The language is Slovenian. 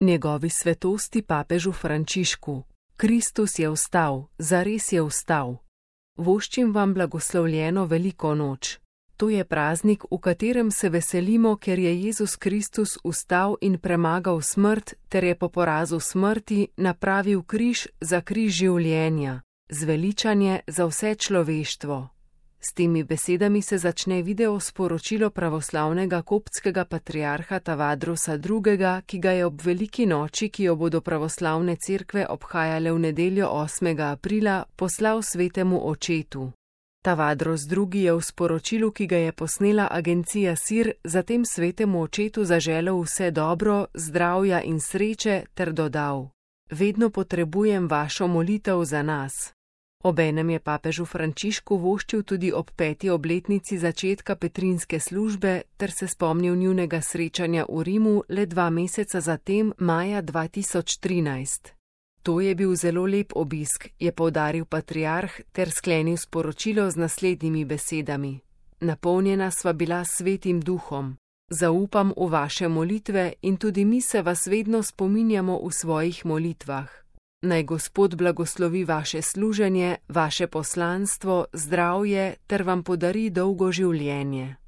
Njegovi svetosti papežu Frančišku. Kristus je vstal, zares je vstal. Voščim vam blagoslovljeno veliko noč. To je praznik, v katerem se veselimo, ker je Jezus Kristus vstal in premagal smrt, ter je po porazu smrti napravil križ za križ življenja, zveličanje za vse človeštvo. S temi besedami se začne video sporočilo pravoslavnega koptskega patriarha Tavadrosa II., ki ga je ob veliki noči, ki jo bodo pravoslavne cerkve obhajale v nedeljo 8. aprila, poslal svetemu očetu. Tavadros II. Je v sporočilu, ki ga je posnela agencija SIR, zatem svetemu očetu zaželel vse dobro, zdravja in sreče ter dodal: Vedno potrebujem vašo molitev za nas. Obenem je papežu Frančišku voščil tudi ob 5. obletnici začetka petrinske službe ter se spomnil njunega srečanja v Rimu le 2 meseca zatem, maja 2013. To je bil zelo lep obisk, je poudaril patriarh ter sklenil sporočilo z naslednjimi besedami: Napolnjena sva bila s Svetim Duhom. Zaupam v vaše molitve in tudi mi se vas vedno spominjamo v svojih molitvah. Naj Gospod blagoslovi vaše služenje, vaše poslanstvo, zdravje ter vam podari dolgo življenje.